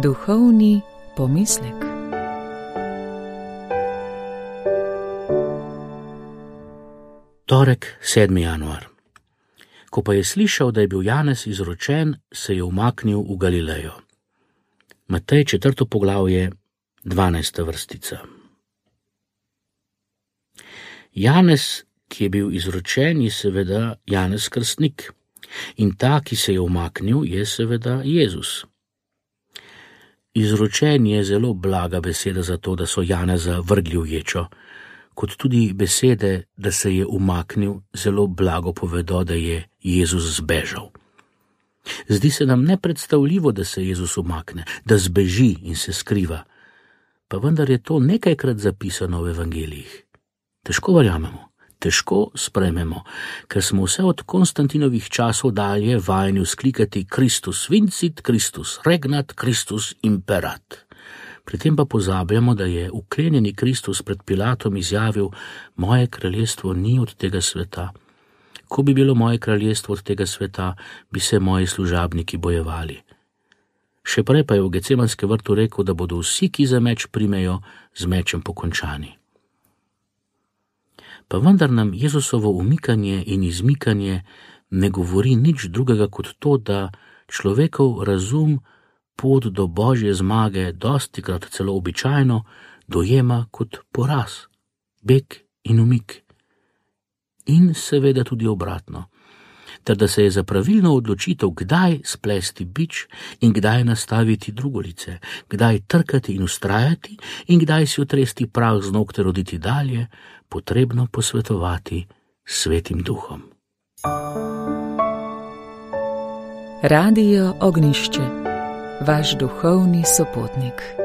Duhovni pomislek. Torek, 7. januar. Ko pa je slišal, da je bil Janez izročen, se je umaknil v Galilejo. Matej 4. poglavje, 12. vrstica. Janez, ki je bil izročen, je seveda Janez Krstnik, in ta, ki se je umaknil, je seveda Jezus. Izročen je zelo blaga beseda za to, da so Janeza vrgli v ječo, kot tudi besede, da se je umaknil, zelo blago povedo, da je Jezus zbežal. Zdi se nam nepredstavljivo, da se Jezus umakne, da zbeži in se skriva, pa vendar je to nekajkrat zapisano v evangelijih. Težko verjamemo, težko sprejmemo, ker smo vse od Konstantinovih časov dalje vajeni vzklikati Christus vincit, Christus regnat, Christus imperat. Pri tem pa pozabljamo, da je uklenjeni Kristus pred Pilatom izjavil: moje kraljestvo ni od tega sveta. Ko bi bilo moje kraljestvo od tega sveta, bi se moji služabniki bojevali. Še prej pa je v Gecemanskem vrtu rekel, da bodo vsi, ki za meč primejo, z mečem pokončani. Pa vendar nam Jezusovo umikanje in izmikanje ne govori nič drugega kot to, da človekov razum pot do Božje zmage dostikrat celo običajno dojema kot poraz, beg in umik. In seveda tudi obratno, ter da se je za pravilno odločitev, kdaj splesti bič in kdaj nastaviti drugolice, kdaj trkati in vztrajati in kdaj si otresti prah z nog ter oditi dalje, potrebno posvetovati s Svetim Duhom. Radio Ognjišče, vaš duhovni sopotnik.